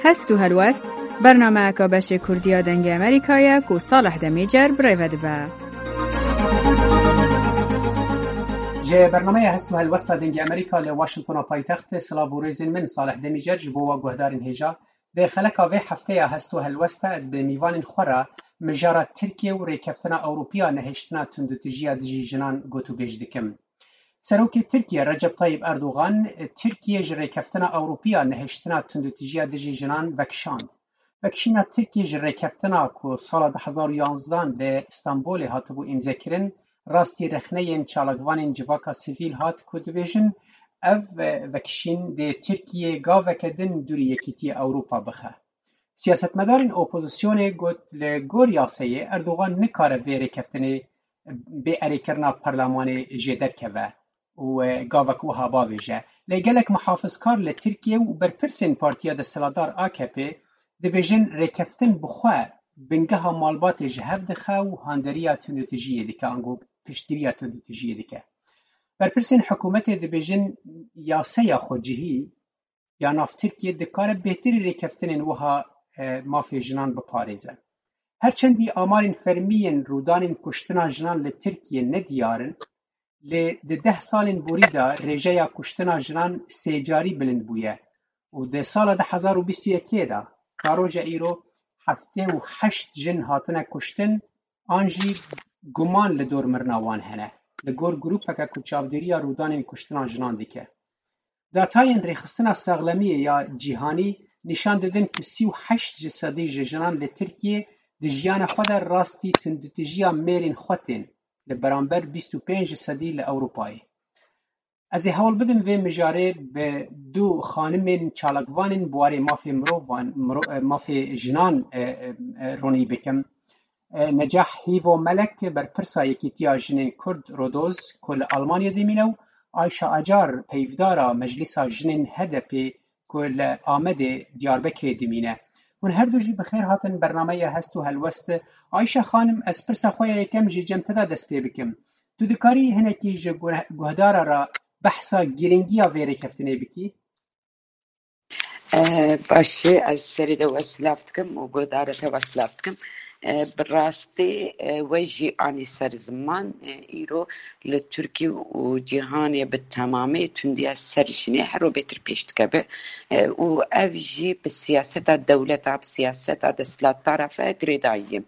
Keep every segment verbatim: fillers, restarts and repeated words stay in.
Hest û Helwest, bernameyeka beşê Kurdî ya Dengê Amerîka ye ku Salih Demîcer bi rê ve dibe. Ji bernameya Hest û Helwesta Dengê Amerîka li Washingtona paytext, silav û rêzên min Salih Demîcer ji bo we guhdarên hêja. Di xeleka vê hefteya Hest û Helwesta ez bi mîvanên xwe re mijara Tirkiye û rêkeftina Ewropiya nehiştina tundûtijiya dijî jinan gotûbêj dikim. Serokê Tirkiye Recep Tayyip Erdogan, Tirkiye ji rêkeftina Ewropiya nehiştina tundûtijiya dijî jinan vekişand. Vekişîna Tirkiye ji rêkeftina ku sala du hezar û yanzdehan li Stenbolê hatibû îmzekirin, rastî rexneyên çalakvanên civaka sivîl hat ku dibêjin, ev, e, vekişîn dê Tirkiye gaveke din dûrî Yekîtiya Ewropa bixe. Siyasetmedarên opozisyonê got, li gor yasayê Erdogan nikare vê rêkeftinê bê erêkirina perlemanê jê derkeve û, e, gavek wiha bavêje. Lê gelek muhafizkar li Tirkiye û berpirsên partiya desthilatdar A K P dibêjin rêkeftin bi xwe bingeha malbatê ji hev dixe û handeriya tundûtijiyê dike, ango piştgiriya tundûtijiyê dike. Berpirsên hikûmetê dibêjin yaseya xwecihî ya nav Tirkiyê dikare bêhtirî rêkeftinên wiha, e, mafê jinan biparêze. Her çendî amarên fermî yên rûdanên kuştina jinan li Tirkiyê ne diyar in, lê di deh salên borî de rêjeya kuştina jinan sê carî bilind bûye û di sala du hezar û bîst û yekê de ta roja îro heftê û heşt jin hatine kuştin, an jî guman li dor mirina wan hene, li gor grûpeke ku çavdêriya rûdanên kuştina jinan dike. Datayên Rêxistina Saxlemiyê ya Cîhanî nîşan didin ku sî û heşt ji sedî ji jinan li Tirkiyê di jiyana xwe de rastî tundûtijiya mêrên xwe tên, li beramber bîst û pênc ji sedî li Ewropayê. Ez ê hewl bidim vê mijarê bi du xanimên çalakvanên bi warê mafê mirovan, miro-, e, mafê jinan, e, e, e, ronî bikim. E, Necah Hîvo Melek, berpirsa Yekîtiya Jinên Kurd Rodoz ku li Almanyê dimîne û Ayşe Acar, peyvdara Meclîsa Jinên H D P ku li Amedê Diyarbekirê dimîne. Hûn her du jî bi xêr hatin bernameya Hest û Helwest. Ayşe xanim, ez pirsa xwe ya yekem jî cem te de dest pê bikim. Tu dikarî hinekî ji guh-, guhdara re behsa girîngiya vê rêkeftinê bikî? Eh, baş e, ez serê de we silav dikim û guhdarê te we silav dikim. Eh, bi rastî, eh, we jî anî ser ziman, eh, îro li Tirkî û cîhanê bi temamê tundiya ser jinê her ro bêtir pêş dikeve. Eh, û ev jî bi siyaseta dewleta, bi siyaseta desthilatdara ve girêdayî ye.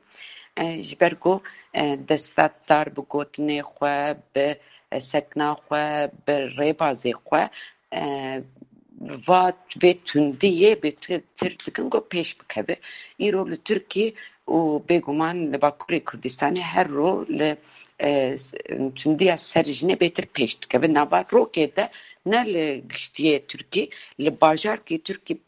Eh, ji ber ku, eh, desthilatdar bi gotinê xwe, bi, eh, sekna xwe, bi rêbazê xwe, eh, va vê tundiyê bê ti-, tir dikin ku pêş bikeve. Îro li Tirkî û bêguman li Bakurê Kurdistanê her ro li, eh, s-, tundiya ser jinê bêtir pêş dikeve. Nava rokê de ne li giştiyê Tirkî, li bajarkê Tirkî,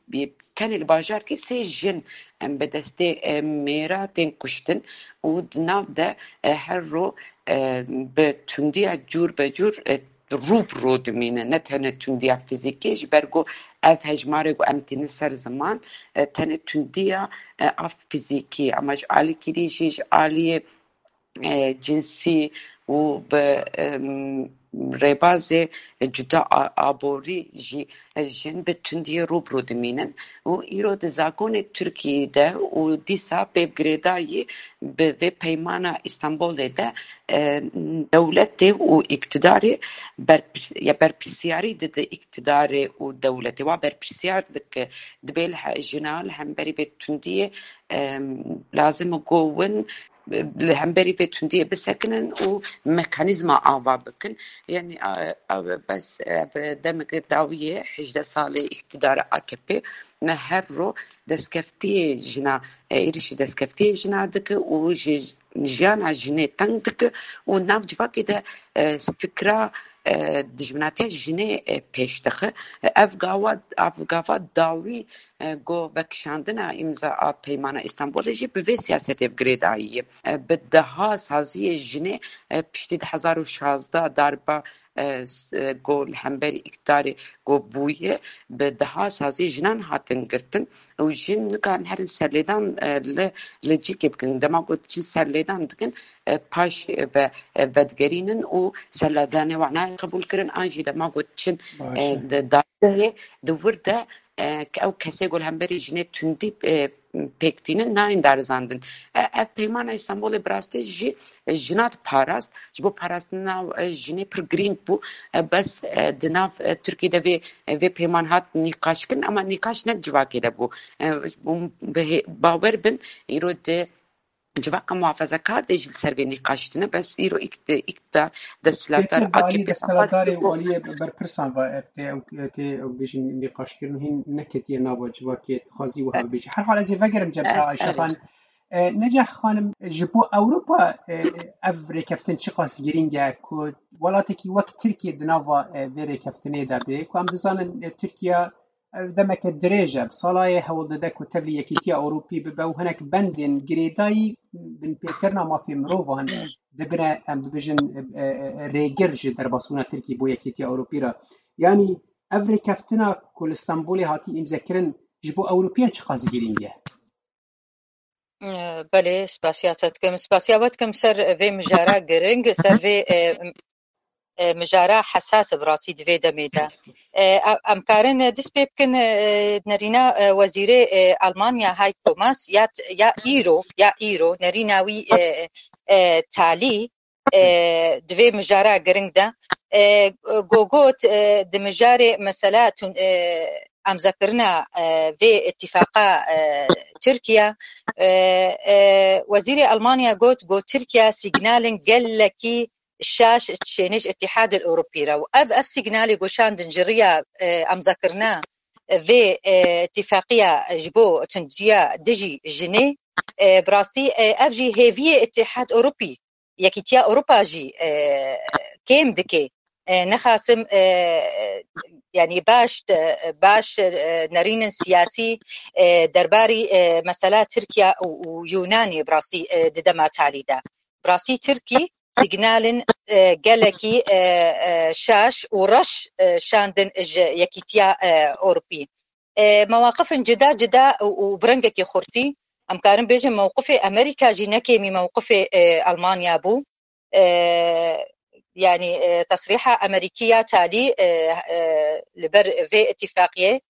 tenê li bajarkê sê jin, em, bi destê, em, mêra tên kuştin û di nav de, e, her ro, e, bi tundiya cûr be cûr, e, rû bi rû dimîne, ne tenê tundiya fizîkî, ji ber ku ev hejmarê ku em tînin ser ziman, e, tenê tundiya, e, a fizîkî, ama ji alîkî dî jî ji aliyê, e, cinsî û bi, em, rêbazê cuda a-, aborî jî, e, jin bi tundiyê rû bi rû dimînin. Û îro di zagonê Tirkiyê de û dîsa pê bi girêdayî bi vê peymana Îstanbulê de, e, dewletê û îktidarê berpir-, ya berpirsyarî dide îktidarê û dewletê. Wa berpirsiyar dike, dibê li he-, jina li hemberî vê tundiyê, e, lazim e ku win li hemberî vê tundiyê bisekinin û mekanîzma ava bikin. Yanî, a, a, bes, e, bi demeke dawiyê, hejdeh salê îktidara A K P, me her ro destkeftiyê jina, e, êrişî destkeftiyê jina dike û ji jiyana jinê teng dike û nav civakê de, e, fikra, e, dijminatiya jinê, e, pêş dixe. Ev gava, ev gava dawî, e, go vekişandina îmza a Peymana Îstanbulê jî bi vê siyasetê girêdayî ye. E, bi deha saziyê jinê, e, piştî du hezar û şazdeh darba, e, s-, e, go li hemberî îktidarê go bûye, bi deha saziyê jinan hatin girtin û jin nikarin herin serlêdan, e, li, li cîkê bikin. Dema ku çin serlêdan dikin, e, paş, e, ve, e, vedigerînin û serlêdanê wan nayê qebûl kirin, an jî dema ku çin, Baş e, e. di, da- Di wir de, e, ke ew kesê ku li hemberî jinê tundî, e, pêk tînin, nayên darizandin. E, ev peymana Îstanbulê bi rastî jî, e, jina diparast. Ji bo parastina, e, jinê pir girîng bû. E, bes, e, di nav, e, Tirkiyê de vê, e, vê peyman hat nîqaşkirin, ama nîqaş ne civakê de bû. E, hûn bi hê-, bawer bin, îro di civaka muhafazakar de jî li ser vê nîqaş tine, bes îro îkt-, îktidar, desthilatdar, Bêtir bi alî AKP desthilatdarê û aliyê berpirsan ve, e, tê ew, e, tê ew bêjin nîqaşkirin hîn neketiye nava civakê, dixwazî wiha bibêje. Her hal ez ê vegerim cem te, Ayşe Xan. E, Necah Xanim, ji bo Ewropa, e, ev rêkeftin çiqas girîng e ku welatekî wek Tirkiye di nava, e, vê rêkeftinê de bê, ku em dizanin, e, Tirkiye, ev demeke dirêj e, bi sala ye hewl dide ku tevlî Yekîtiya Ewropî bibe û hinek bendên girêdayî binpêkirina mafê mirovan dibine, em dibêjin, e, e, e, rêgir ji derbasbûna Tirkî bo Yekîtiya Ewropî re. Yanî ev rêkeftina ku li Stenbolê hatî îmzekirin ji bo Ewropiyan çiqas girîng e? Belê, spasiya te dikim. Spasiya we dikim ser vê mijara giring, ser vê, e, e, mijara hesas bi rastî di vê demê de. E, em, em karin dest pê bikin, e, nerîna, e, wezîrê, e, Almanya Heiko Maas ya t-, ya îro, ya îro nerîna wî, e, e, talî, e, di vê mijara giring de, e, go got, e, di mijarê mesela tun-, e, emzekirina, e, vê îtîfaqa, e, Tirkiye, e, e, wezîrê Almanya got, got Tirkiye sîgnalên gelekî şaş dişêne ji Îtîhadê Ewropî re û ev, ev sîgnalê goşandin ji riya, e, emzekirina vê, e, îtîfaqiya ji bo tundiya dijî jinê, e, bi rastî, e, ev jî hêviyê Îtîhad Ewropî, Yekîtiya Ewropa jî, e, kêm dike. E, nexasim, e, yanî baş, e, baş, e, nerînin siyasî, e, derbarî, e, mesela Tirkiye û, û Yunanê bi rastî, e, di dema talî de. Bi rastî Tirkî sîgnalên, e, gelekî, e, e, şaş û reş, e, şandin ji Yekîtiya, e, Ewropî. E, mewaqifin cida cida û, û bi rengekî xurtî, em karin bêjin mewqifê Amerîka jî ne kêmî mewqifê, e, Almanya bû. E, yanî, e, tesrîha Amerîkî ya talî, e, e, li ber vê îtîfaqiyê,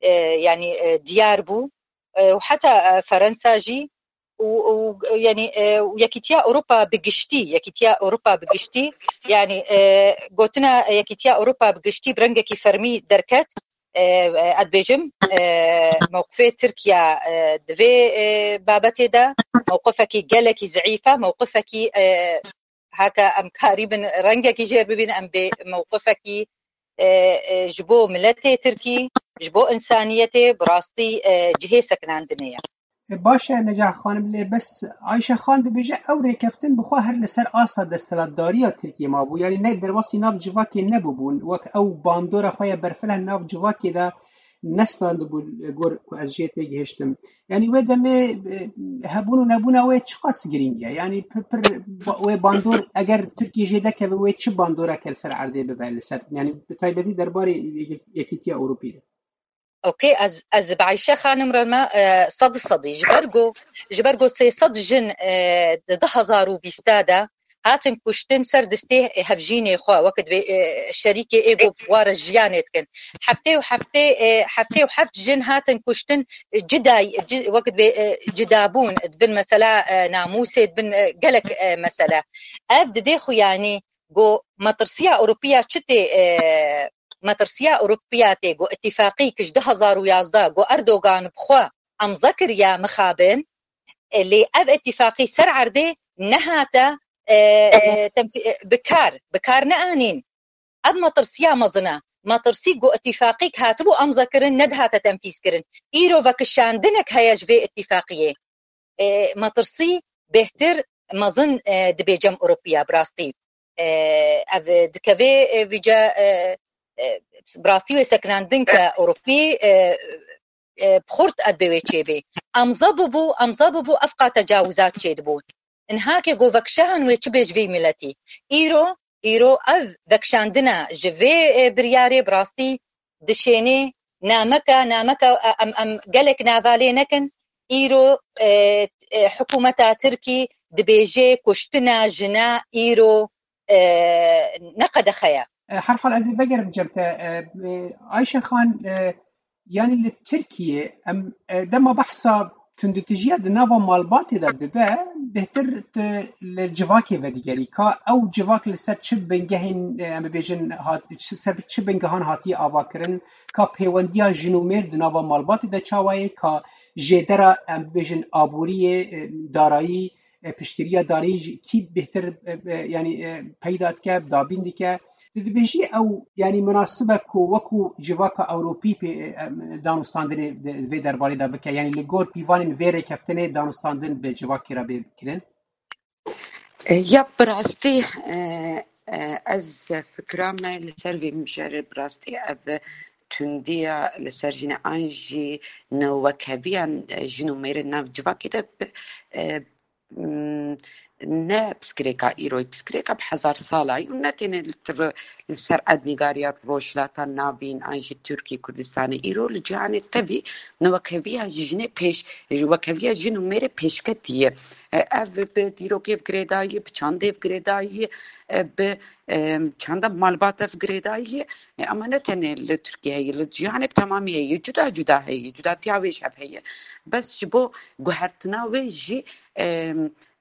e, yanî, e, diyar bû. E, û heta, e, Ferensa jî û, û, yanî, e, û Yekîtiya Ewropa bi giştî, Yekîtiya Ewropa bi giştî, yanî, e, gotina Yekîtiya Ewropa bi giştî bi rengekî fermî derket. E, e, ez dibêjim, e, mewqifê Tirkiye, e, di vê, e, babetê de mewqifekî gelekî zeîf e, mewqifekî, e, heke em karîbin rengekî jêr bibîn, em bê mewqifekî, e, e, ji bo miletê Tirkî, ji bo însaniyetê bi rastî, e, cihê sekinandinê ye. E, baş e, Necah Xanim, lê bes Ayşe Xan dibêje ew rêkeftin bi xwe her li ser asta desthilatdariya Tirkiyê mabû. Yanî ne derbasî nav civakê nebûbûn. Wek ew bandora xwe ya berfireh nav civakê de nestandibû, li gor ku ez jê têgihiştim. Yanî wê demê, e, hebûn û nebûna wê çiqas girîng e? Yanî pir, pir ba-, wê bandor eger Tirkiye jê derkeve wê çi bandoreke li ser erdê bibe li ser? Yanî bi taybetî derbarê Yek-, Yekîtiya Ewropî de. Okey, ez, ez bi Ayşe Xanim re me, e, sed sedî. Ji ber ku, ji ber ku sê sed jin, e, di du hezar û bîst de hatin kuştin ser distê hevjînê xwe, wekî dibê, e, şerîkê ê ku ware jiyanê dikin. Heftê û heftê, e, heftê û heft jin hatin kuştin, e, cida, ci-, wekî dibê, e, cidabûn, dibin mesela, e, namûsê, dibin, e, gelek, e, mesele. Ev didê xwe yanî ku metirsiya Ewropiya çi tê, e, metirsiya Ewropiya tê ku îtîfaqî ki ji du hezar û yazdeh ku Erdogan bi xwe emze kiriye mixabin, e, lê ev îtîfaqî ser erdê nehate, e, e, tenfî-, e, bi kar, bi kar neanîn. Ev metirsiya mezin e. Metirsî ku îtîfaqîk hatibû emze kirin, nedihate tenfîz kirin. Îro vekişandinek heye ji vê îtîfaqiyê. E, metirsî bêhtir mezin, e, dibê cem Ewropiya bi rastî. E, ev dikeve, e, vîca, e, e, bi rastî wê sekinandin ke Ewropî, e, e, bi xurt e dibê wê çêbê. Emze bibû, emze bibû, ev qat tecawizat çêdibû. Inhakê ku vekşehan wê çi bê ji vê miletî. Îro, îro ev vekşandina ji vê, e, biryarê bi rastî dişênê nameke, nameke, e, em, em gelek navalê nekin. Îro, e, e, hikûmeta Tirkî dibêje kuştina jina îro, e, ne qedexe ye. E, her hal ez ê vegerim cem te. E, e, Ayşe Xan, e, yanî li Tirkiye em, e, dema behsa tunditijiya di nava malbatê de dibe, bêhtir tu li civakê vedigerî. Ka ew civak li ser çi bingehên, e, em bibêjin, hat, ser çi bingehan hatiye avakirin, ka pêwendiya jin û mêr di nava malbatê de çawa ye, ka jêdera, em bibêjin, aboriyê, e, darayî, e, piştgiriya darî jî kî bêhtir, e, e, yanî, e, peyda dike, dabîn dike. Tu dibêjî ew, yanî, minasib e ku wekû civaka Ewropî pê, e, em, danûstandinê di vê derbarê de bike, yanî li gor pîvanên vê rêkeftinê danûstandin bi civakê re bê kirin? E, ya bi rastî, e, e, ez fikra me li ser vê mijarê bi rastî ev tundiya li ser jinê an jî newekheviyan, e, jin û mêrên nav civakê de bi, e, m, ne piskirêka îro ye, piskirêka bi hezar sala ye û ne tenê li tir-, li ser erdnîgariya Rojhilata Navîn an jî Tirkî Kurdistanê. Îro li cîhanê tevî newekheviya jinê pêş, wekheviya jin û mêrê pêşketî ye. E, ev bi dîrokê ve girêdayî, bi çandê ve girêdayî, e, bi, e, çanda malbat ve girêdayî, e, ama ne tenê li Tirkiye heye, li cîhanê bi temamî heye, cuda cuda heye, cudatiya wê ji hev heye. Bes ji bo guhertina wê jî, e,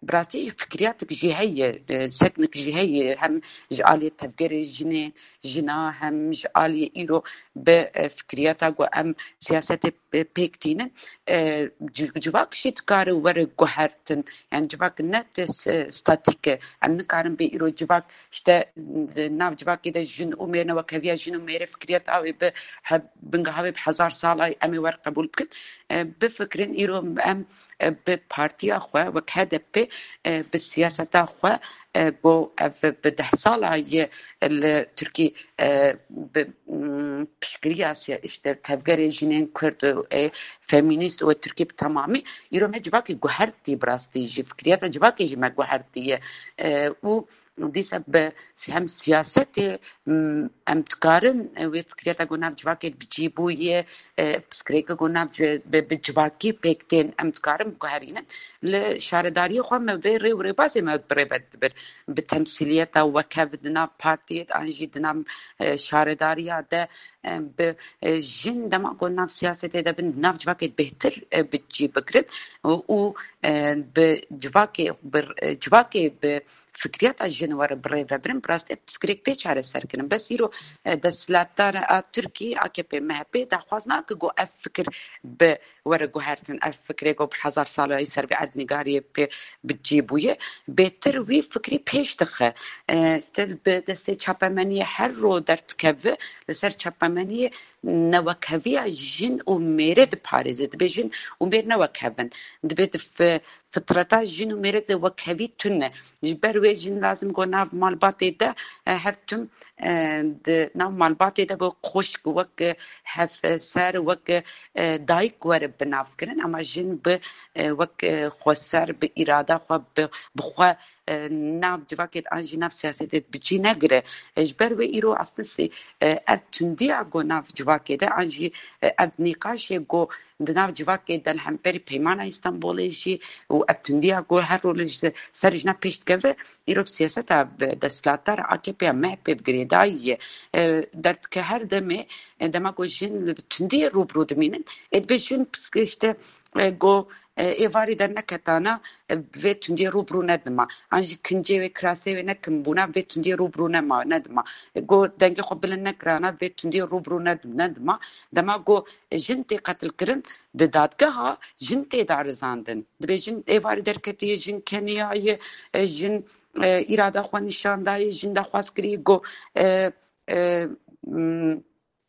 bi rastî fikriyatik jî heye, e, seknik jî heye, hem ji aliyê tevgerê jinê, jina, hem ji aliyê îro bi, e, fikriyata ku em siyasetê pê-, pêk tînin, e, ci-, civak jî dikare were guhertin. Yani civak ne tişt, e, statîk e. Em nikarin bê îro civak işte di nav civakê de jin û mêr, newekheviya jin û mêrê fikriyeta wê bi he-, bingeha wê bi hezar sala em ê wer qebûl bikin. E, bifikirin îro em, e, bi partiya xwe wek H D P, e, bi siyaseta xwe, e, ku ev bi deh sala ye li Tirkî, e, bi, mm, piştgiriya siya-, işte tevgerê jinên Kurd, e, feminîst û Tirkî bi temamî, îro me civakê guhertî bi rastî jî, fikriyata civakê jî me guhertî ye. E, û dîsa bi hem siyasetê, mm, em dikarin, e, wê fikriyata ku nav civakê bi cî bûye, e, piskirêka ku nav ci-, bi, bi civakî pêk tên, em dikarin biguherînin. Li şaredariyê xwe me vê rê û rêbazê me bi rê ve dibir. Bi temsîliyeta wekhev di nav partiyê de an jî di nav, e, şaredariya de, e, bi, e, jin dema ku nav siyasetê de bin, nav civakê bêhtir, e, bi cî bigirin û, û, e, bi civakê, bi, e, civakê bi fikriyata jin were bi rê ve birin, bi rastî piskirêk tê çareserkirin. Bes îro, e, desthilatdara Tirkî, A K P, M H P daxwaz nake ku ev fikir bi were guhertin, ev fikrê ku bi hezar sala yî ser vê erdnîgariyê pê bi cî bûye, bêtir wî fikrî pêş dixe. E, te bi destê çapemeniyê her ro derdikeve, li ser çapemeniyê newekheviya jin û mêrê diparêze. Dibê jin û mêr newekhev in. Dibê di fi-, fitreta jin û mêrê de wekhevî tune. Ji ber wê jin lazim ku nav malbatê de, e, her tim, e, di nav malbatê de wek xwişk, wek, e, hevser, wek, e, dayik were bi nav kirin. Ama jin bi, e, wek, e, xweser, bi îrada xwe, bi, bi xwe, e, nav civakê de an jî nav siyasetê de bi cî negire. E, ji ber wê îro aslında sê, e, ev tundiya ku nav civakê de an jî, e, ev nîqaşê ku di nav civakê de li hemberî Peymana Îstanbulê jî û ev tundiya ku her rol ji ser jina pêş dikeve, îro bi siyaseta bi desthilatdar A K P ya M H P bi girêdayî ye. E, derdike her demê, e, dema ku jin li tundiyê rû bi rû dimînin, ê dibê jin piske işte, e, ku, e, êvarî derneketana, e, vê tundiyê rû bi rû nedima. An jî kincê wê, kirasê wê nekin bûna, vê tundiyê rû bi rû nema, nedima. E, ku dengê xwe bilind nekirana, vê tundiyê rû bi rû nedim-, nedima. Dema ku jin tê qetilkirin, di dadgeha jin tê darizandin. Dibê jin êvarî derketiye, jin keniyaye, e, jin, e, îrada xwe nîşan daye, jin daxwaz kiriye ku, e, e, m,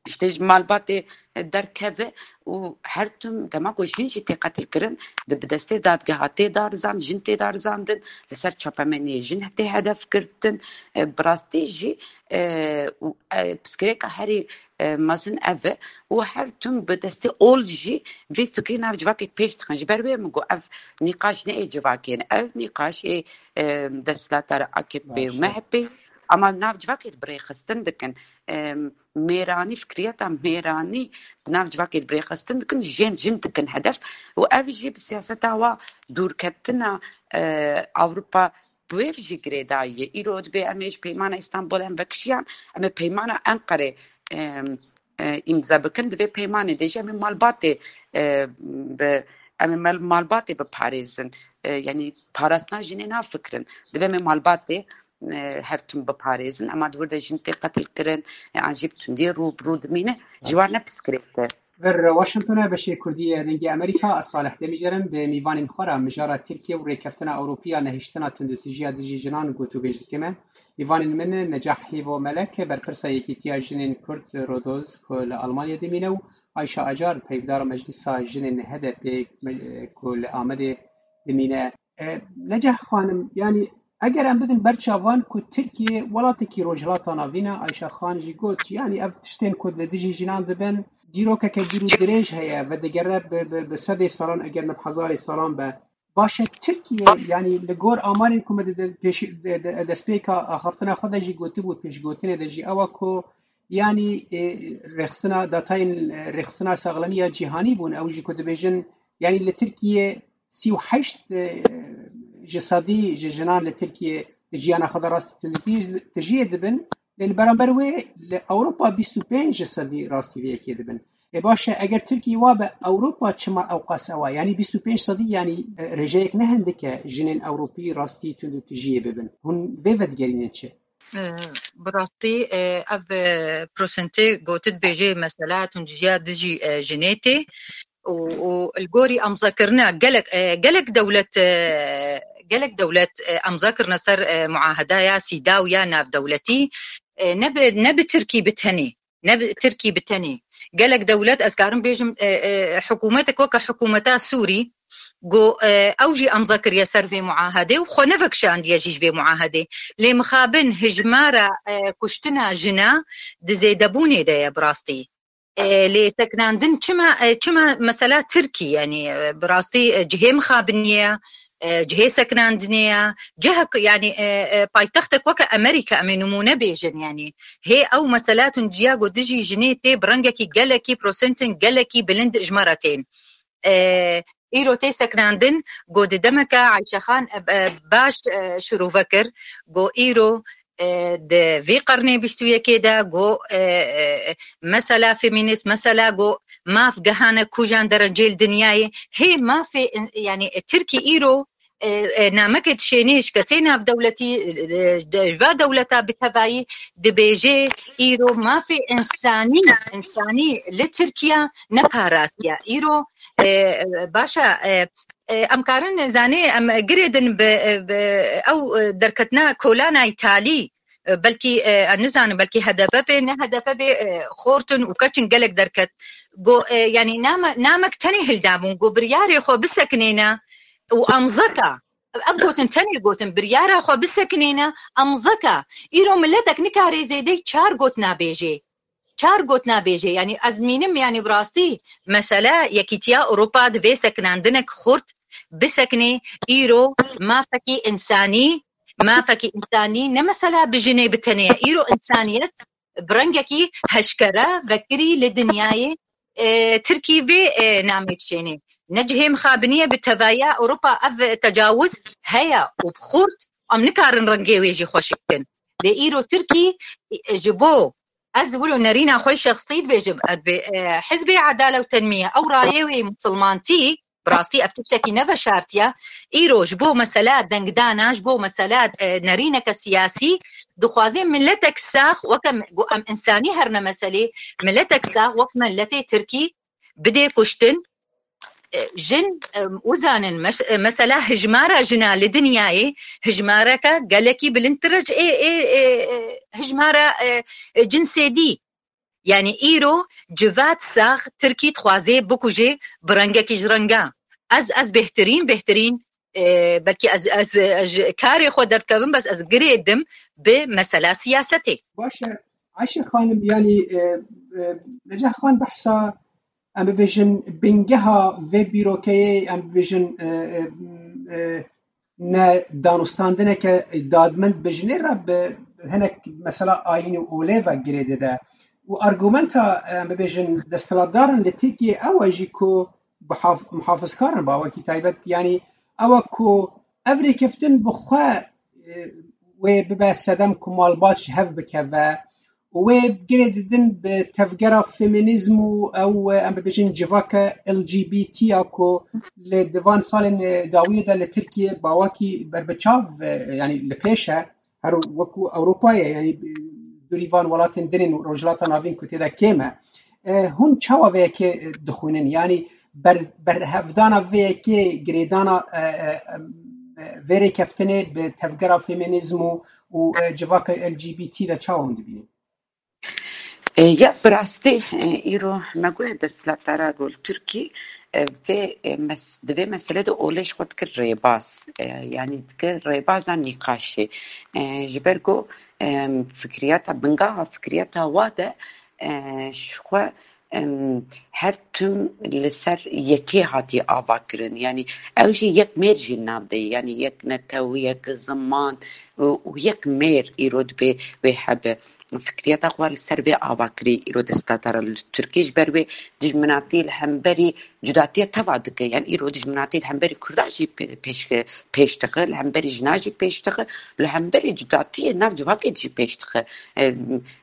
işte ji malbatê derkeve û her tim dema ku jin jî tê qetilkirin, di bi destê dadgeha tê darizand, jin tê darizandin, li ser çapemeniyê jin tê hedef girtin. E, bi rastî jî, e, û, e, piskirêka herî, e, mezin ev e û her tim bi destê ol jî vê fikrî nav civakê pêş dixin. Ji ber wê min got ev nîqaş ne ê civakê ne. Ev nîqaş ê, e, desthilatdara A K P û M H P ama nav civakê de bi rêxistin dikin. E, mêranî, fikriyeta mêranî di nav civakê de bi rêxistin dikin, jên jin dikin hedef. Û ev jî bi siyaseta wa dûrketina, e, Ewropa bi wê jî girêdayî ye. Îro dibê em ê ji Peymana Îstanbul em vekişiyan, em ê Peymana Enqerê, em, e, îmze bikin, di vê peymanê de jî em ê malbatê, e, bi, em ê mal-, malbatê biparêzin. E, yanî parastina jinê nafikirin. Divê em ê malbatê, e, her tim biparêzin. Ema di wir de jin tê qetilkirin, e, an jî bi tundiyê rû bi rû dimîne, ji wan ne piskirêk e. Vir Washingtonê beşê Kurdî yê Dengê Amerîka, ez Salih Demîcer im, bi mîvanên xwe re mijara Tirkiye û rêkeftina Ewropî ya nehiştina tundûtijiya dijî jinan gotûbêj dikeme. Mîvanên min Necah Hêvo Melek, berpirsa Yekîtiya Jinên Kurd Rodoz ku li Almanya dimîne û Ayşe Acar, peyvdara Meclisa Jinên H D P ku li Amedê dimîne. E, Necah xanim, yanî eger em bidin ber çavan ku Tirkiye welatekî Rojhilata Navîn e, Ayşe Xan jî got, yanî ev tiştên ku li dijî jinan dibin, dîrokeke dûr û dirêj heye, vedigere bi, bi, bi sedê salan, eger ne bi hezarê salan be. Baş e, Tirkiye, yanî li gor amarên ku me di, di, pêşî-, di, di, destpêka axaftina xwe de jî gotibû, pêşgotinê de jî ew e ku, yanî, e, rêxistina, datayên, e, rêxistina saxlemiya cîhanî bûn, ew jî ku dibêjin, yanî li Tirkiye sî û heşt, e, ji sedî ji jinan li Tirkiye di jiyana xwe de rastî tundî tijiyê dibin. Lê li beramber wê li Ewropa bîst û pênc ji sedî rastî vê yekê dibin. Ê baş e, eger Tirkiye wa be, Ewropa çima ewqas ew e? Yanî bîst û pênc sedî, yanî, e, rêjeyek ne hindik e jinên Ewropî rastî tundûtijiyê bibin. Hûn vê vedigerînin çi? E, bi rastî, e, ev, e, prosentê gotî dibêje mesela tundijiya dijî, e, jinê tê û, û li gorî emzakirina gelek, e, gelek dewlet, e, gelek dewlet, e, emza kirine ser, e, muahedaya CEDAW ya navdewletî, e, ne bi, ne bi Tirkî bi tenê, ne bi Tirkî bi tenê. Gelek dewlet, ez karim bêjim, e, e, hikûmetek weke hikûmeta Sûrî, ku, e, ew jî emza kiriye ser vê muahedê û xwe nevekişandiye jî ji vê muahedê. Lê mixabin hijmara, e, kuştina jina di zêdebûnê de ye bi rastî. E, lê sekinandin çima, e, çima mesela Tirkî, yanî, e, bi rastî, e, cihê mixabiniyê ye, e, cihê sekinandinê ye, cihek, yanî, e, e, paytextek weke Amerîka, em ê nimûne bêjin, yanî hê ew mesela tundiya ku dijî jinê tê bi rengekî gelekî, prosentên gelekî bilind ji me re tên. E, îro tê sekinandin, ku di demeke Ayşe Xan, e, e, baş, e, şirove kir, ku îro, e, di vî qernê bîst û yekê de, ku, e, e, mesela femînîst, mesela ku maf gehane kujan derecê li dinyayê, hê mafê in-, yanî, e, Tirkî îro, e, e, nameke dişênê ji kesê navdewletî, e, e, de, ji va dewleta bi tevayî dibêje, îro mafê însanî, însanî li Tirkiya neparastiye. Îro, e, e, baş e, e, e, em karin zanê, em girêdin bi, e, bi ew, e, derketina kolana Îtalî, e, belkî, e, ez nizanim, belkî H D P bê, ne H D P bê, e, xortin û keçin gelek derket. Go, e, yanî name-, namek tenê hildabûn, go biryarê xwe bisekinêne û emzeka. Ev gotin tenê gotin, biryara xwe bisekinêne, emzeka. Îro miletek nikare zêdey çar gotina bêjê. Çar gotina bêjê. Yanî ez mînim, yanî bi rastî mesele Yekîtiya Ewropa divê sekinandinek xurt bisekinê. Îro mafekî însanî, mafekî însanî ne mesela bi jinê bi tenê ye. Îro însaniyet bi rengekî heşkere vekirî li dinyayê, e, Tirkî vê, e, namê dişênê. Ne cihê mixabiniyê bi tevaya Ewropa ev tecawuz heye û bi xurt em nikarin rengê wê jî xweşik bikin. Lê îro Tirkî, e, ji bo ez wilo nerîna xwe şexsî dibêjim, ez bi, e, Hizbê Edale û Tenmiye ew rayê wê misilmantî, bi rastî ev tiştekî neveşartiye. Îro ji bo mesela dengdana, ji bo mesela, e, nerîneke siyasî, dixwaze miletek sax, weke m-, ku em însanî her ne meselê, miletek sax wek miletê Tirkî bidê kuştin, e, jin, e, uzanin, mes-, e, mesela hijmara jina li dinyayê hijmareke gelekî bilindtir e ji ê, ê, ê, ê, hijmara, e, e, cinsê dî. Yanî îro civat sax Tirkî dixwaze bikuje bi rengekî ji renga. Ez, ez bêhtirîn, bêhtirîn, e, belkî ez, ez, ez ji karê xwe derdikevim, bes ez girê dim bi mesela siyasetê. Baş e, Ayşe Xanim, yanî, e, e, Necah Xan behsa, em bibêjin, bingeha vê bîrokeyê, em bibêjin, e, e, e, ne danûstandineke dadmend bi jinê re bi hinek mesela ayîn û olê ve girê dide. Û argumenta, em bibêjin, desthilatdaran li Tirkiyê ew e jî ku bihaf-, muhafizkar in, bawekî taybet, yanî ew e ku ev rêkeftin bi xwe wê bibe sedem ku malbat ji hev bikeve û wê girê didin bi tevgera feminîzm û ew, em bibêjin civaka L G B T ya ku li di van salên dawiyê de li Tirkiye bawakî berbiçav, e, yanî li pêş e, her wekû Ewropayê, yanî dûrî van welatên din ên Rojhilata Navîn ku tê de kêm e. E, hûn çawa vê yekê, e, dixwînin? Yanî ber-, berhevdana vê yekê, girêdana, e, e, e, vê rêkeftinê bi tevgera feminîzm û, û, e, civaka L G B T de çawa hûn dibînin? E, ya bi rastî, e, îro me got desthilatdara ku li Tirkî, e, vê, e, mes-, di vê meselê de olê ji xwe dikir rêbaz. E, yanî dikir rêbaza nîqaşê. E, ji ber ku, e, fikriyata, bingeha fikriyata wa de, e, ji xwe, em, her tim li ser yekê hatiye ava kirin. Yanî ew jî yek mêr jî nav de ye. Yanî yek netew, yek ziman û, û yek mêr îro dibê wê hebe. Fikriyeta xwe li ser vê ava kirî îro desthilatdara li Tirkî. Ji ber wê dijminatî li hemberî cudatiya teva dike. Yanî îro dijminatî li hemberî Kurda jî pê-, pêş, pêş dixe, li hemberî jina jî pêş dixe, li hemberî cudatiyê nav civakê jî pêş dixe. E,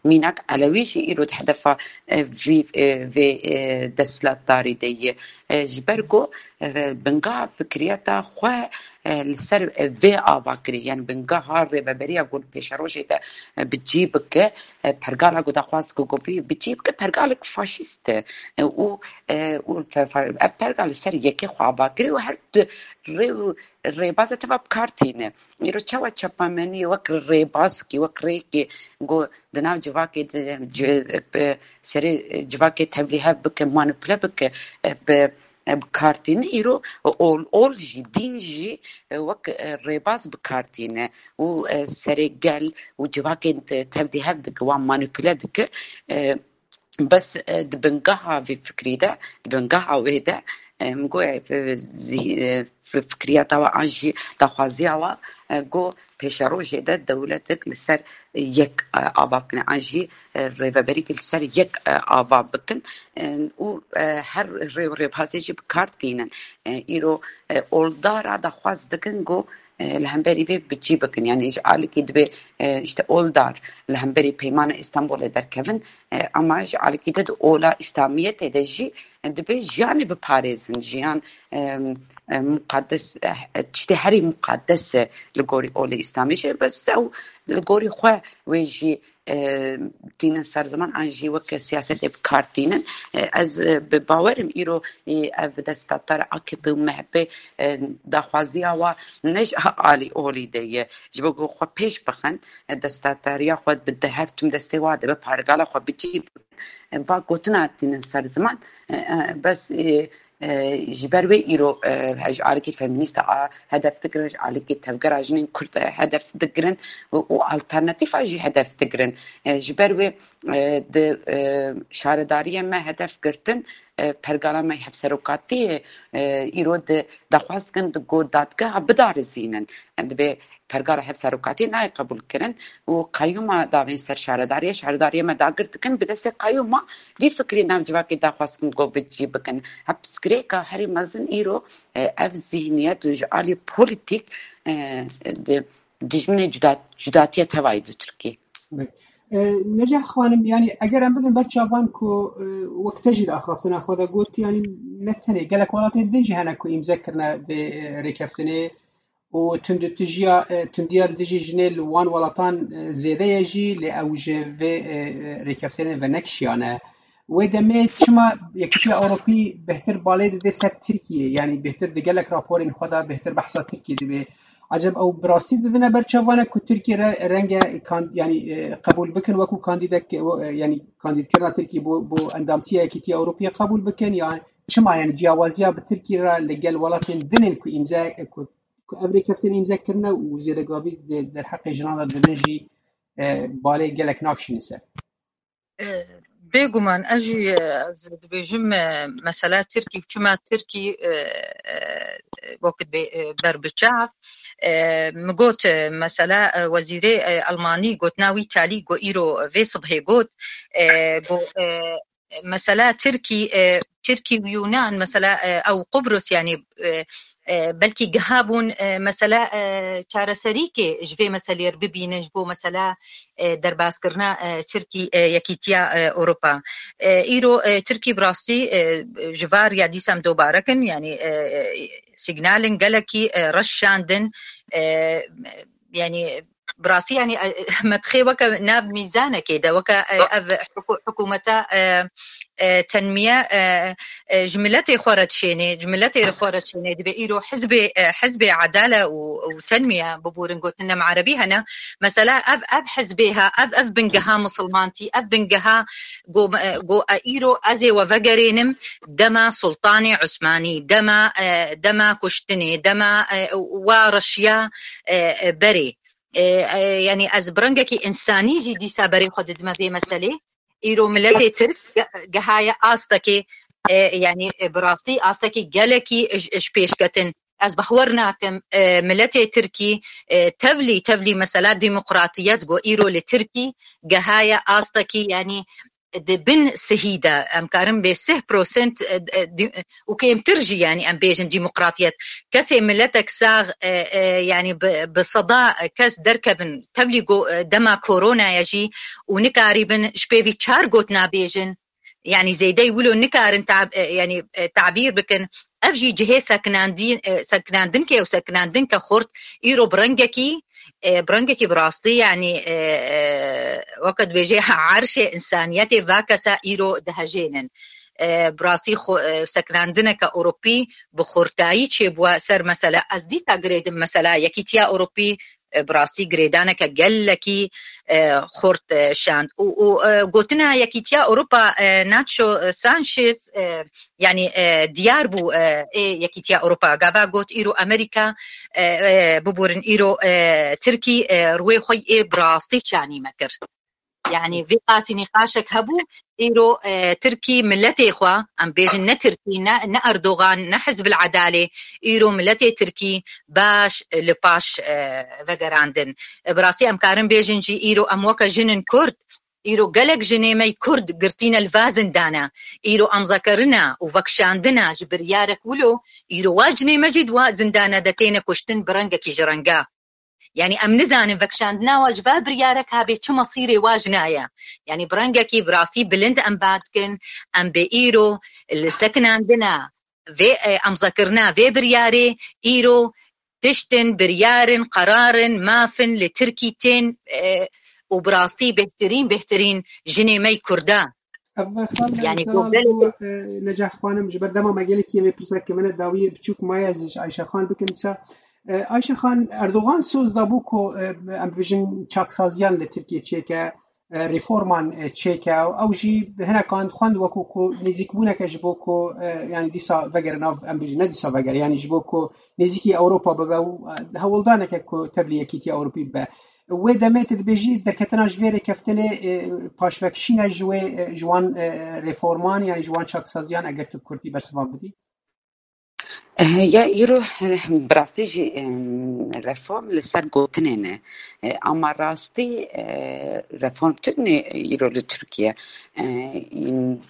mînak Elewî jî îro di hedefa, e, vî, e, vê, e, desthilatdarî de ye. E, ji ber ku, e, bingeha fikriyeta xwe, e, li ser, e, vê ava kirî. Yanî bingeha rêveberiya ku li pêşerojê de, e, bi cî bike, e, pergala ku daxwaz ku ku bi, bi cî bike, pergalek faşîst e. E, û, e, û fe-, fe-, ev pergal li ser yekê xwe ava kirî û her di rê û rêbaza teva bi kar tîne. Îro çawa çapemeniyê wek rêbazkî, wek rêkê ku di nav civakê de, ci-, bi serê civakê tevlîhev bike, manipule bike, e, bi, e, bi kar tîne. Îro ol, ol jî, dîn jî, e, wek, e, rêbaz bi kar tîne û, e, serê gel û civakên te-, tevlîhev dike, wan manipule dike. E, bes, e, di bingeha vê fikrî de, di bingeha wê de, e, min got, e, zî-, e, fi-, fikriyata we an jî daxwaziya we, e, got pêşerojê de dewletek li ser yek, e, ava bikine, an jî, e, rêveberîkê li ser yek, e, ava bikin, e, û, e, her rê û rêbazê jî bi kar tînin. E, îro, e, oldara daxwaz dikin got, e, li hemberî vê bi cî bikin. Yanî ji alîkî dibê, e, işte oldar li hemberî Peymana Îstanbulê derkevin, e, ama ji alîkî de di ola Îslamiyetê de jî, e, dibê jiyanê biparêzin, jiyan, e, e, muqaddes, e, tiştê herî muqaddes e li gorî olê Îslamê jî, bes ew li gorî xwe wê jî, e, tînin ser ziman an jî weke siyasetê bi kar tînin. E, ez, e, bi bawer im îro, e, ev desthilatdar A K P û M H P, e, daxwaziya wa ne ji alî olî de ye. Ji bo ku xwe pêş bixin, e, desthilatdariya xwe bi de her tim destê wa de be, pergala xwe bi cî bikin. E, va gotina tînin ser ziman. E, e, bes, e, e, ji ber wê îro, e, ji alîkî feminîsta a hedef digirin, ji alîkî tevgera jinên Kurd, e, hedef digirin û, û alternatîfa jî hedef digirin. E, ji ber wê, e, di, e, şaredariyê me hedef girtin, e, pergala me hevserokatiyê, e, îro di daxwaz dikin di got dadgeha bidarizînin. Em dibê pergala hevserokatiyê nayê qebûl kirin û qeyûma davên ser şaredariye, şaredariye me dagir dikin, bi destê qeyûma vî fikrî nav civakê daxwaz dikin ku bi cî bikin. Hep pirsgirêka herî mezin îro, e, ev zîhniyet û ji alî polîtîk, e, di dijminê cuda-, cudatiya tevayî di Tirkiyê. E, Neceh xanim, yanî eger em bidin ber çavan ku, e, wek te jî di axaftina xwe de got, yanî ne tenê gelek welatên din jî hene ku îmze kirine vê, e, rêkeftinê, û tundûtijiya, e, tundiya li dijî jinê li wan welatan, e, zêde ye jî, lê ew ji vê, e, e, rêkeftinê venekişiyane. Wê demê çima Yekîtiya Ewropî bêhtir balê dide ser Tirkiyê? Yanî bêhtir di gelek raporên xwe de bêhtir behsa Tirkiyê dibe. Eceb ew bi rastî didine ber çavane ku Tirkiye re renge kan-, yanî, e, qebûl bikin wekû kandîdek, e, yanî kandîdkirina Tirkiyê bo, bo endamtiya Yekîtiya Ewropiyê qebûl bikin? Yan çima, yanî ciyawaziya bi Tirkiyê re li gel welatên din ên ku îmze, e, ku ku ev rêkeftin îmze kirine û zêdegavî di derheqê jinan de dibin jî, e, balê gelek nakişîne ser. E, Bêguman ez jî, e, ez dibêjim, e, mesela Tirkî, çima Tirkî, e, e, wekî dibê, e, ber bi çav. E, min got, e, mesela, e, wezîrê, e, Elmanî gotina wî talî got îro vê sibhê got, e, got, e, mesela Tirkî, e, Tirkî û Yunan, mesela, e, ew Qubrus, yanî, e, e, belkî giha bûn, e, mesela, e, çareserîkê ji vê meselê re bibînin, ji bo mesela, e, derbazkirina, e, Tirkî, e, Yekîtiya, e, Ewropa. E, îro, e, Tirkî bi rastî, e, ji var ya dîsa em dobare kin, yanî, e, e, signalên gelekî, e, reş şandin, e, yanî, bi rastî, yanî, e, me dixê weke nav mîzanekê de, weke, e, ev hiku-, hikûmeta, e, e, tenmiye, e, e, ji miletê xwe re dişênê, ji miletê xwe re dişênê, dibe îro hizbê, e, hizbê edale û, û tenmiye, biborin gotin, em erebî hene. Mesela ev, ev hizbê ha, ev, ev bingeha misilmantî, ev bingeha go, e, go, e, îro ez ê we vegerênim dema Sultanê Usmanî, dema, e, dema kuştinê, dema, e, wa reşiya, e, e, berê. E, e, yanî ez bi rengekî însanî jî dîsa berê xwe didime vê meselê. Îro miletê Tirk ge-, gehaye astekê, e, yanî, e, bi rastî astekî gelekî ji, ji pêşketin. Ez bawer nakim, e, miletê Tirkî, e, tevlî, tevlî mesela demokratiyet go îro li Tirkî gehaye astekî, yanî di bin sihî de, em karin bê sih prosent, e, e, di-, û kêmtir jî, yanî em bêjin demokratiyet. Kesê miletek sax, e, e, yanî bi, bi seda kes derkevin, tevlî go, e, dema koronaya jî û nikarîbin ji pêvî çar gotina bêjin. Yanî zêdeyî wilo nikarin tab-, e, yanî, e, tabîr bikin. Ev jî cihê sekinandî-, e, sekinandinke û sekinandinke xurt îro bi rengekî, e, bi rengekî bi rastî, yanî, e, e, weke dibêje erşê însaniyetê va kesa îro dihejênin. E, bi rastî xwe, e, sekinandineke Ewropî bi xurtayî çêbûye ser mesela. Ez dîsa girêdim mesela Yekîtiya Ewropî, e, bi rastî girêdaneke gelekî, e, xurt, e, şand. Û, û, e, gotina Yekîtiya Ewropa, e, Nacho Sanchez, e, yanî, e, diyar bû, e, ê Yekîtiya Ewropa. Gava got, îro Amerîka, e, e, biborin, îro, e, Tirkî, e, rûyê xwe yê bi rastî çanî me kir. Yanî vê qasî nîqaşek hebû, îro, e, Tirkî miletê xwe, em bêjin ne Tirkî, ne, ne Erdogan, ne Hizb el Edalê, îro miletê Tirkî baş, e, li paş, e, vegerandin. E, bi rastî em karin bêjin jî îro em weke jinên Kurd, îro gelek jinê me yê Kurd girtîne li va zindana, îro amzekerina û vekişandina ji biryarek wilo, îro wa jinê me jî di wa zindana de têne kuştin bi rengekî ji renga. Yanî em nizanin vekişandina wa ji va biryarek habê çi mesîrê wa jina ye. Yanî bi rengekî bi rastî bilind em ba dikin, em bê îro li sekinandina vê, e, emzekirina vê biryarê, îro tiştin, biryarin, qerarin, mafin li Tirkî tên, e, û bi rastî bêhtirîn, bêhtirîn jinê me yê Kurda. Ev xal, yanî, Zelal, ku, e, Necah xanim, ji ber dema me gelekî em ê pirseke min e dawiyê biçûk maye ez ji Ayşe Xan bikim. Dîsa, e, Ayşe Xan, Erdogan soz dabû ku, e, em bibêjin çaksaziyan li Tirkiye çêke, e, reforman, e, çêke. Ew jî hinekan xwend wekû ku nêzîkbûneke ji bo ku, e, yanî dîsa vegere nav, em bêjin ne dîsa vegere, yanî ji bo ku nêzîkî Ewropa bibe û, e, hewldaneke ku tevlî Yekîtiya Ewropî bibe. Wê demê tu dibêjî derketina ji vê rêkeftinê, e, paşvekişîne ji wê, e, ji wan, e, reforman, yanî ji wan çaksaziyan, eger tu bi kurtî bersivan bidî? Eh, ya îro, eh, bi rastî jî, em, reform li ser gotinê ne. Eh, ama rastî, eh, reform tune îro li Tirkiye. Eh,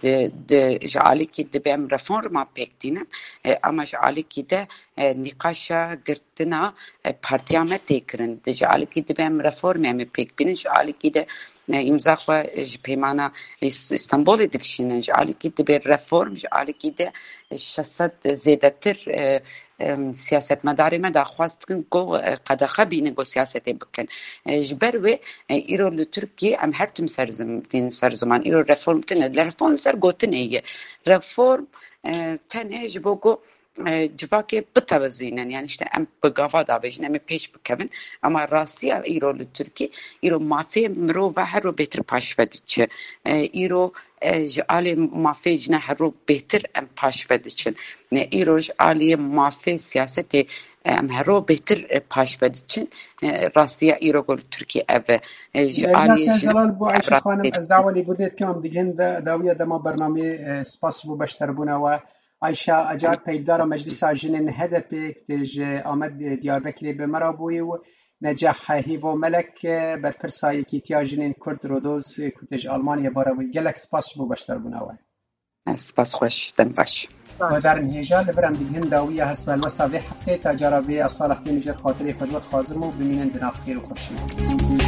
di, di, ji alîkî dibe em reforma pêk tînin, eh, ama ji alîkî de, eh, nîqaşa girtina, eh, partiya me tê kirin. Di ji alîkî dibe em reformê em ê pêk bînin, ji alîkî de, eh, îmza xwe ji peymana Îs-, Îstanbulê dikişînin, ji alîkî dibe reform, ji alîkî de şeş sed zêdetir, eh, em, siyasetmedarê me daxwaz dikin ku, eh, qedexe bînin ku siyasetê bikin. Eh, ji ber wê, eh, îro li Tirkiyê em her tim ser zim-, tînin ser ziman. Îro reform tune, li reform ser gotinê ye. Reform, eh, tenê ji bo ku, eh, civakê bitewizînin. Yani işte em bi gava davêjin, em ê pêş bikevin. Ama rastiya îro li Tirkî, îro mafê mirova her ro bêtir paşve diçe. Eh, îro, eh, ji alê mafê jina her ro bêtir em paşve diçin. Ne îro ji aliyê mafê siyasetê, eh, em her ro bêtir, eh, paşve diçin. Eh, rastiya îro ku li Tirkî ev e. Eh, ji aliyê Zelal, bo Ayşe Xanim, ez dawa lêbûrê dikim, em digihên de dawiya dema bernameyê, eh, spas bo beşdarbûna we. Ayşe Acar, peyvdara Meclisa Jinên H D P, ku tê ji Amed Diyarbekirê bi me re bûyî û Necah Hêvo Melek, berpirsa Yekîtiya Jinên Kurd Rodoz, ku tê ji Almanyayê bare bûyî. Gelek spas ji bo beşdarbûna we. Spas xweş, dem baş. Guhdarên hêja, li vir em digihîn dawiya hest û helwesta vê hefteyê. Ta cara vê, ez Salih Demîrcel xatirê xwe ji we dixwazim û bimînin di nav xêr û xweşiyê.